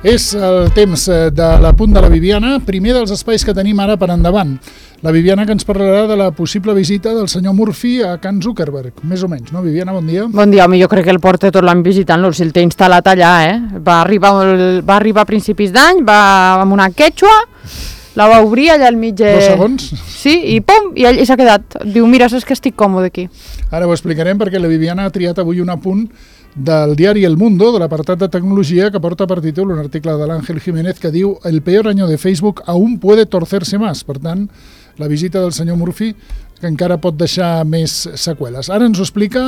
És el temps de l'apunt de la Viviana, primer dels espais que tenim ara per endavant. La Viviana que ens parlarà de la possible visita del senyor Murphy a Can Zuckerberg, més o menys, no? Viviana, bon dia. Bon dia, home, jo crec que el porta tot l'any visitant-lo, si el té instal·lat allà, Va arribar a principis d'any, va amb una quechua, la va obrir allà al mig... 2 segons? Sí, i pum, i ell s'ha quedat. Diu, mira, saps que estic còmode aquí. Ara ho explicarem perquè la Viviana ha triat avui un apunt del diari El Mundo, de l'apartat de tecnologia, que porta per títol un article de l'Àngel Jiménez que diu «El peor año de Facebook aún puede torcerse más». Per tant, la visita del senyor Murphy que encara pot deixar més seqüeles. Ara ens ho explica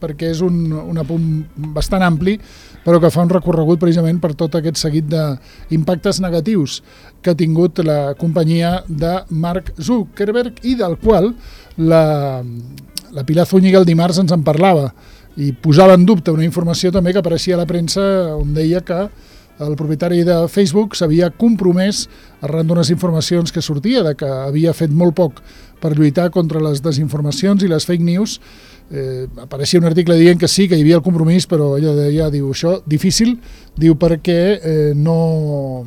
perquè és un apunt bastant ampli, però que fa un recorregut precisament per tot aquest seguit d'impactes negatius que ha tingut la companyia de Mark Zuckerberg i del qual la Pilar Zúñiga el dimarts ens en parlava i posava en dubte una informació també que apareixia a la premsa on deia que el propietari de Facebook s'havia compromès arran d'unes informacions que sortia de que havia fet molt poc per lluitar contra les desinformacions i les fake news. Apareixia un article dient que sí, que hi havia el compromís, però ella deia, diu, això difícil, diu, perquè no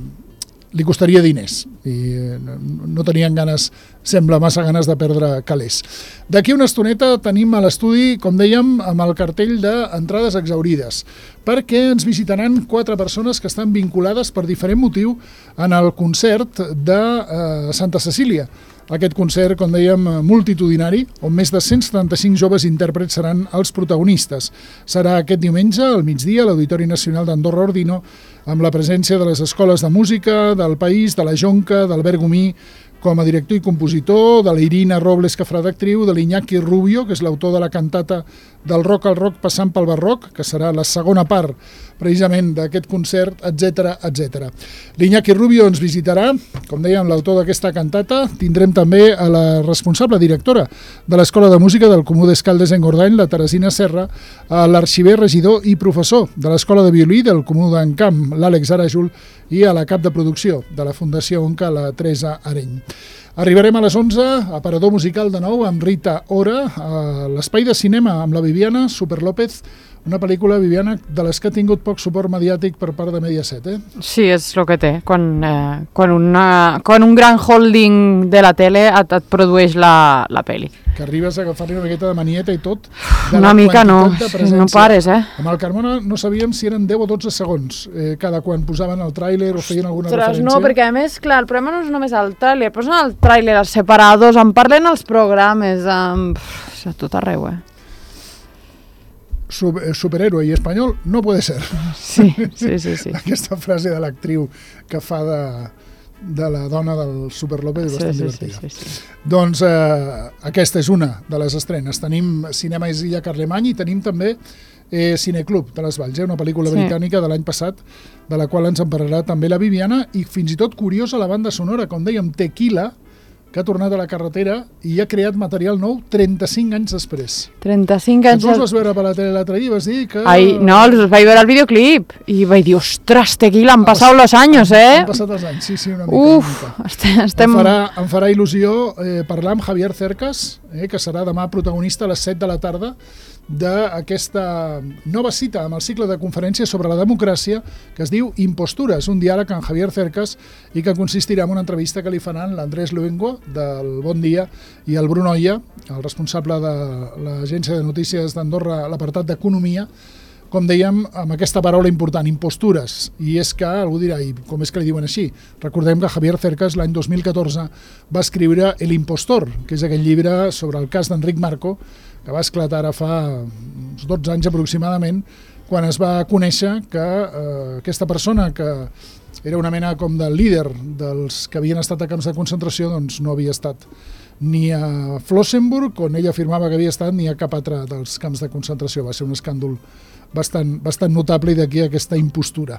li costaria diners i no tenien ganes, sembla massa ganes de perdre calés. D'aquí una estoneta tenim a l'estudi, com dèiem, amb el cartell d'entrades exaurides, perquè ens visitaran 4 persones que estan vinculades per diferent motiu en el concert de Santa Cecília. Aquest concert, com dèiem, multitudinari, on més de 175 joves intèrprets seran els protagonistes. Serà aquest diumenge, al migdia, a l'Auditori Nacional d'Andorra Ordino, amb la presència de les escoles de música, del País, de la Jonca, d'Albert Gomí, com a director i compositor, de la Irina Robles, que farà d'actriu, de l'Iñaki Rubio, que és l'autor de la cantata del rock al rock passant pel barroc, que serà la segona part precisament d'aquest concert, etc etc. L'Iñaki Rubio ens visitarà, com dèiem, l'autor d'aquesta cantata. Tindrem també a la responsable directora de l'Escola de Música del Comú d'Escaldes-Engordany, la Teresina Serra, a l'arxiver, regidor i professor de l'Escola de Violí del Comú d'Encamp, l'Àlex Arajul, i a la cap de producció de la Fundació Onca, la Teresa Areny. Arribarem a les 11, aparador musical de nou amb Rita Ora, a l'espai de cinema amb la Viviana Super López, una pel·lícula, Viviana, de les que ha tingut poc suport mediàtic per part de Mediaset, Sí, és el que té. Quan un gran holding de la tele et produeix la pel·li. Que arribes a agafar-li una miqueta de manieta i tot. Una mica no pares, Amb el Carmona no sabíem si eren 10 o 12 segons cada quan posaven el tràiler o feien alguna referència. No, perquè a més, clar, el problema no és només el tràiler, posen el tràiler, els separadors, en parlen els programes, a tot arreu, Superhéroe i espanyol no puede ser. Sí. Aquesta frase de l'actriu que fa de la dona del Super López és bastant divertida. Sí. Doncs aquesta és una de les estrenes. Tenim Cinema Illa Carlemany i tenim també Cineclub de les Valls, una pel·lícula britànica de l'any passat, de la qual ens en parlarà també la Viviana, i fins i tot curiosa la banda sonora, com dèiem, Tequila, que ha tornat a la carretera i ha creat material nou 35 anys després. 35 anys... Tu els vas veure per la tele l'altre dia i vas dir que... No, els vaig veure al videoclip i vaig dir, ostres, Tequila, han passat els anys, Han passat els anys, sí, una mica. Em farà il·lusió parlar amb Javier Cercas, que serà demà protagonista a les 7 de la tarda d'aquesta nova cita amb el cicle de conferències sobre la democràcia que es diu Impostures, un diàleg amb Javier Cercas i que consistirà en una entrevista que li faran l'Andrés Luengo del Bon Dia i el Bruno Oia, el responsable de l'agència de notícies d'Andorra, l'apartat d'Economia, com dèiem, amb aquesta paraula important, impostures. I és que algú dirà, i com és que li diuen així? Recordem que Javier Cercas l'any 2014 va escriure El impostor, que és aquell llibre sobre el cas d'Enric Marco, que va esclatar ara fa uns 12 anys aproximadament, quan es va conèixer que aquesta persona, que era una mena com de líder dels que havien estat a camps de concentració, doncs no havia estat ni a Flossenburg, on ella afirmava que havia estat, ni a cap altre dels camps de concentració. Va ser un escàndol bastant notable i d'aquí aquesta impostura.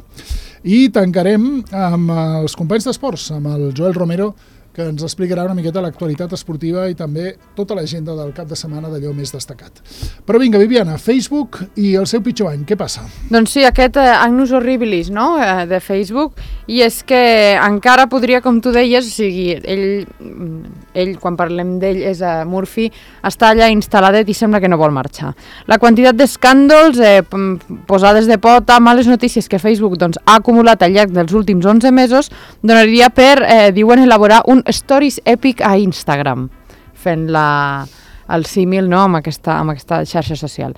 I tancarem amb els companys d'esports, amb el Joel Romero, que ens explicarà una miqueta l'actualitat esportiva i també tota l'agenda del cap de setmana d'allò més destacat. Però vinga, Viviana, Facebook i el seu pitjor any, què passa? Doncs sí, aquest Agnus Horribilis, no?, de Facebook, i és que encara podria, com tu deies, o sigui, ell quan parlem d'ell, és Murphy, està allà instal·ladet i sembla que no vol marxar. La quantitat d'escàndols, posades de pota, males notícies que Facebook doncs, ha acumulat al llarg dels últims 11 mesos, donaria per, diuen, elaborar un Stories Epic a Instagram, fent el símil, no?, amb aquesta xarxa social.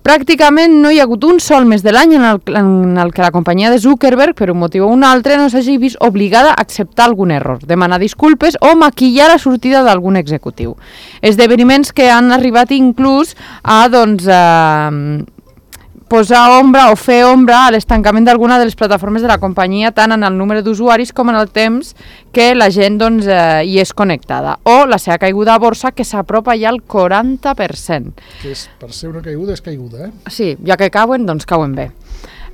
Pràcticament no hi ha hagut un sol mes de l'any en el que la companyia de Zuckerberg, per un motiu o un altre, no s'hagi vist obligada a acceptar algun error, demanar disculpes o maquillar la sortida d'algun executiu. Esdeveniments que han arribat inclús a posar ombra o fer ombra a l'estancament d'alguna de les plataformes de la companyia, tant en el número d'usuaris com en el temps que la gent hi és connectada. O la seva caiguda a borsa, que s'apropa ja al 40%. Que és, per ser una caiguda, és caiguda, Sí, ja que cauen, doncs cauen bé.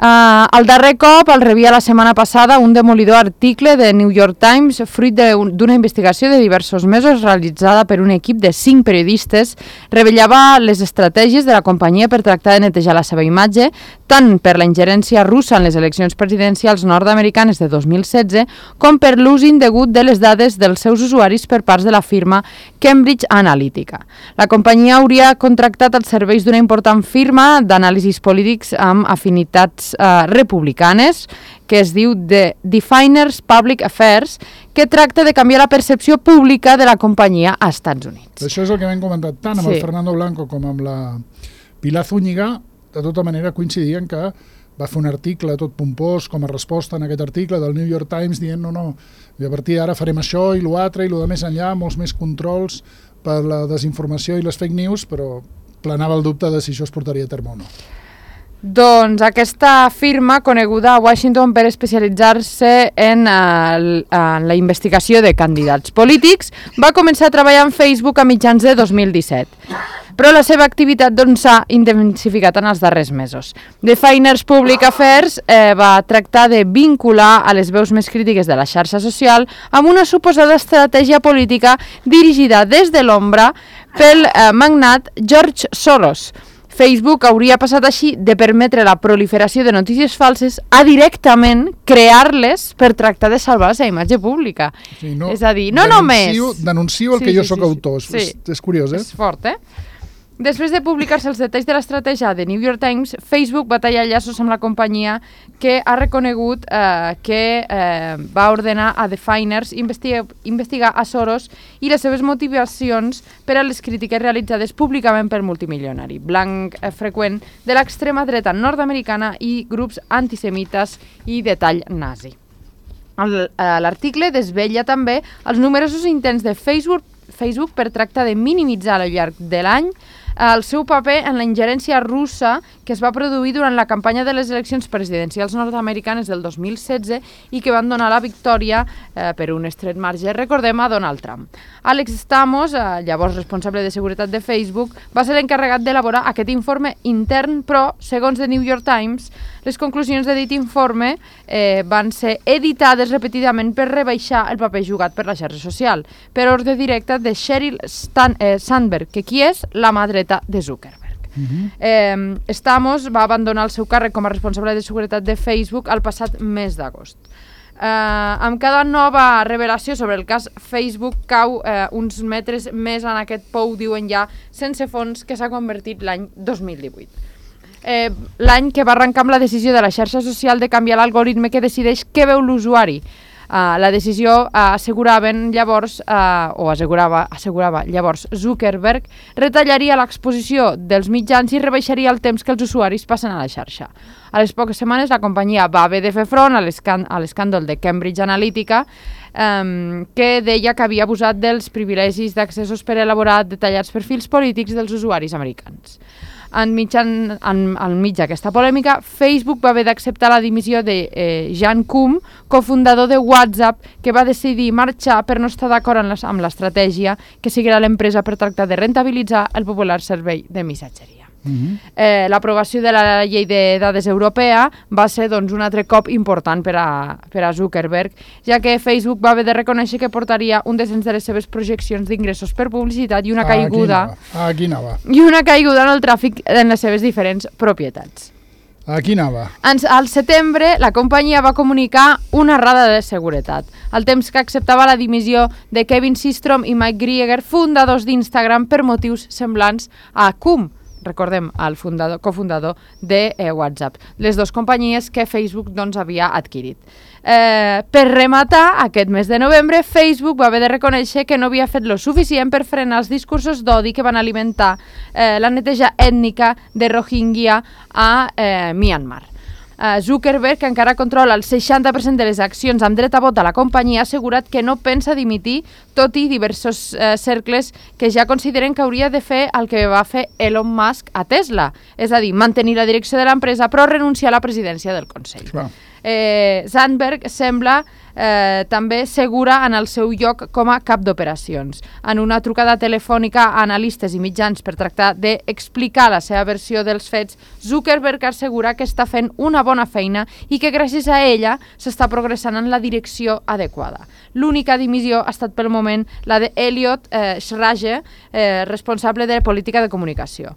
El darrer cop el rebia la setmana passada un demolidor article de New York Times, fruit d'una investigació de diversos mesos realitzada per un equip de 5 periodistes. Revelava les estratègies de la companyia per tractar de netejar la seva imatge, tant per la ingerència russa en les eleccions presidencials nord-americanes de 2016, com per l'ús indegut de les dades dels seus usuaris per parts de la firma Cambridge Analytica. La companyia hauria contractat els serveis d'una important firma d'anàlisis polítics amb afinitats republicanes, que es diu The Definers Public Affairs, que tracta de canviar la percepció pública de la companyia als Estats Units. Això és el que hem comentat tant amb el Fernando Blanco com amb la Pilar Zúñiga. De tota manera coincidien que va fer un article tot pompós com a resposta en aquest article del New York Times dient no, i a partir d'ara farem això i l'altre i el de més enllà, molts més controls per la desinformació i les fake news, però planava el dubte de si això es portaria a terme o no. Doncs aquesta firma, coneguda a Washington per especialitzar-se en la investigació de candidats polítics, va començar a treballar en Facebook a mitjans de 2017. Però la seva activitat s'ha intensificat en els darrers mesos. Definers Public Affairs va tractar de vincular a les veus més crítiques de la xarxa social amb una suposada estratègia política dirigida des de l'ombra pel magnat George Soros. Facebook hauria passat així de permetre la proliferació de notícies falses a directament crear-les per tractar de salvar la seva imatge pública. Sí, no, és a dir, no només... Denuncio el que jo sóc autor. És curiós, És fort, Després de publicar-se els detalls de l'estratègia de New York Times, Facebook va tallar llaços amb la companyia, que ha reconegut que va ordenar a Definers investigar a Soros i les seves motivacions per a les crítiques realitzades públicament pel multimilionari, blanc freqüent de l'extrema dreta nord-americana i grups antisemites i de tall nazi. L'article desvetlla també els numerosos intents de Facebook per tractar de minimitzar al llarg de l'any el seu paper en la ingerència russa que es va produir durant la campanya de les eleccions presidencials nord-americanes del 2016 i que van donar la victòria per un estret marge, recordem, a Donald Trump. Alex Stamos, llavors responsable de seguretat de Facebook, va ser l'encarregat d'elaborar aquest informe intern, però, segons The New York Times, les conclusions de dit informe van ser editades repetidament per rebaixar el paper jugat per la xarxa social, per ordre directe de Sheryl Sandberg, que qui és la mà dreta de Zuckerberg. Stamos va abandonar el seu càrrec com a responsable de seguretat de Facebook el passat mes d'agost. Amb cada nova revelació sobre el cas, Facebook cau uns metres més en aquest pou, diuen ja, sense fons, que s'ha convertit l'any 2018. L'any que va arrencar amb la decisió de la xarxa social de canviar l'algoritme que decideix què veu l'usuari. La decisió assegurava llavors Zuckerberg retallaria l'exposició dels mitjans i rebaixaria el temps que els usuaris passen a la xarxa. A les poques setmanes la companyia va haver de fer front a l'escàndol de Cambridge Analytica, que deia que havia abusat dels privilegis d'accessos per elaborar detallats perfils polítics dels usuaris americans. Enmig d'aquesta polèmica, Facebook va haver d'acceptar la dimissió de Jan Koum, cofundador de WhatsApp, que va decidir marxar per no estar d'acord amb l'estratègia que seguirà l'empresa per tractar de rentabilitzar el popular servei de missatgeria. L'aprovació de la llei de dades europea va ser un altre cop important per a Zuckerberg, ja que Facebook va haver de reconèixer que portaria un descens de les seves projeccions d'ingressos per publicitat i una caiguda en el tràfic en les seves diferents propietats. Aquí anava. Al setembre, la companyia va comunicar una errada de seguretat, al temps que acceptava la dimissió de Kevin Systrom i Mike Grieger, fundadors d'Instagram, per motius semblants a Cum, recordem, el cofundador de WhatsApp, les dues companyies que Facebook doncs, havia adquirit. Per rematar, aquest mes de novembre, Facebook va haver de reconèixer que no havia fet lo suficient per frenar els discursos d'odi que van alimentar la neteja ètnica de Rohingya a Myanmar. Zuckerberg, que encara controla el 60% de les accions amb dret a vot a la companyia, ha assegurat que no pensa dimitir, tot i diversos cercles que ja consideren que hauria de fer el que va fer Elon Musk a Tesla, és a dir, mantenir la direcció de l'empresa però renunciar a la presidència del Consell. Sandberg sembla també segura en el seu lloc com a cap d'operacions. En una trucada telefònica a analistes i mitjans per tractar d'explicar la seva versió dels fets, Zuckerberg assegura que està fent una bona feina i que gràcies a ella s'està progressant en la direcció adequada. L'única dimissió ha estat pel moment la d'Elliot Schrage, responsable de política de comunicació.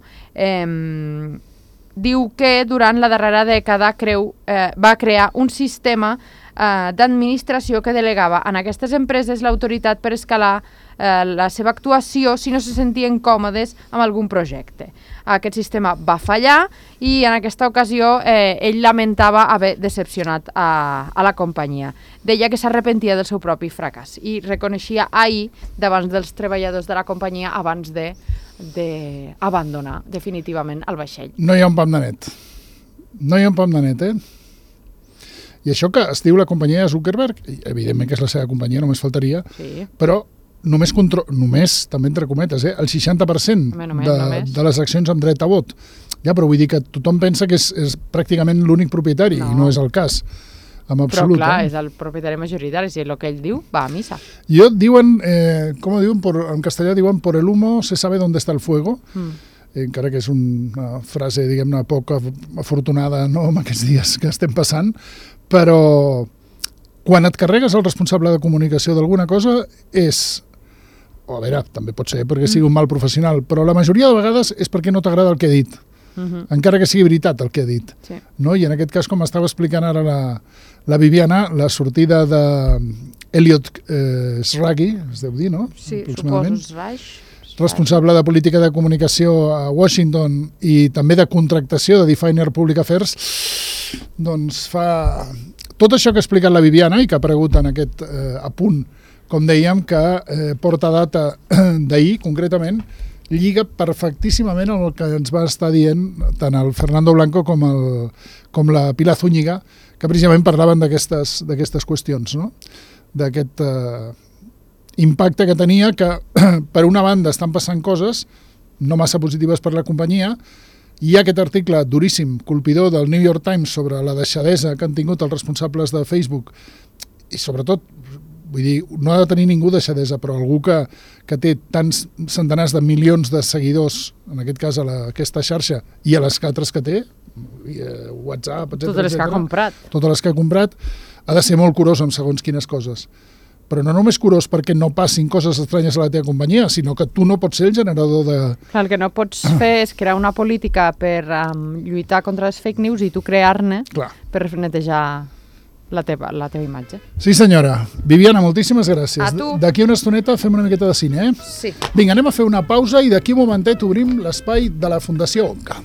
Diu que durant la darrera dècada va crear un sistema d'administració que delegava en aquestes empreses l'autoritat per escalar la seva actuació si no se sentien còmodes amb algun projecte. Aquest sistema va fallar i en aquesta ocasió ell lamentava haver decepcionat a la companyia. Deia que s'arrepentia del seu propi fracàs i reconeixia ahir davant dels treballadors de la companyia abans d'abandonar definitivament el vaixell. No hi ha un pam de net. No hi ha un pam de net, I això que es diu la companyia de Zuckerberg, evidentment que és la seva companyia, només faltaria, però només, també entre cometes, el 60% de les accions amb dret a vot. Ja, però vull dir que tothom pensa que és pràcticament l'únic propietari, i no és el cas. En absolut. Però clar, és el propietari majoritari, si el que ell diu va a missa. Diuen, com diuen, en castellà diuen, por el humo se sabe dónde está el fuego, encara que és una frase, diguem-ne, poc afortunada, no, en aquests dies que estem passant, però quan et carregues el responsable de comunicació d'alguna cosa és, a veure, també pot ser perquè sigui un mal professional, però la majoria de vegades és perquè no t'agrada el que ha dit, encara que sigui veritat el que ha dit. I en aquest cas, com estava explicant ara la Viviana, la sortida d'Elliot Schrage, es deu dir, no? Sí, suposo Schrage. Responsable de política de comunicació a Washington i també de contractació de Definer Public Affairs, doncs fa tot això que ha explicat la Viviana i que ha aparegut en aquest apunt, com dèiem, que porta data d'ahir, concretament, lliga perfectíssimament amb el que ens va estar dient tant el Fernando Blanco com la Pilar Zúñiga, que precisament parlaven d'aquestes qüestions, no? D'aquest impacte que tenia, que per una banda estan passant coses no massa positives per la companyia. Hi ha aquest article duríssim, colpidor del New York Times sobre la deixadesa que han tingut els responsables de Facebook i sobretot, vull dir, no ha de tenir ningú deixadesa, però algú que té tants centenars de milions de seguidors, en aquest cas a aquesta xarxa i a les altres que té, WhatsApp, etc. Totes les que ha comprat. Totes les que ha comprat, ha de ser molt curós amb segons quines coses. Però no només curós perquè no passin coses estranyes a la teva companyia, sinó que tu no pots ser el generador de... Clar, el que no pots fer és crear una política per lluitar contra les fake news i tu crear-ne per netejar la teva imatge. Sí, senyora. Viviana, moltíssimes gràcies. A tu. D'aquí una estoneta fem una miqueta de cine, Sí. Vinga, anem a fer una pausa i d'aquí un momentet obrim l'espai de la Fundació ONCA.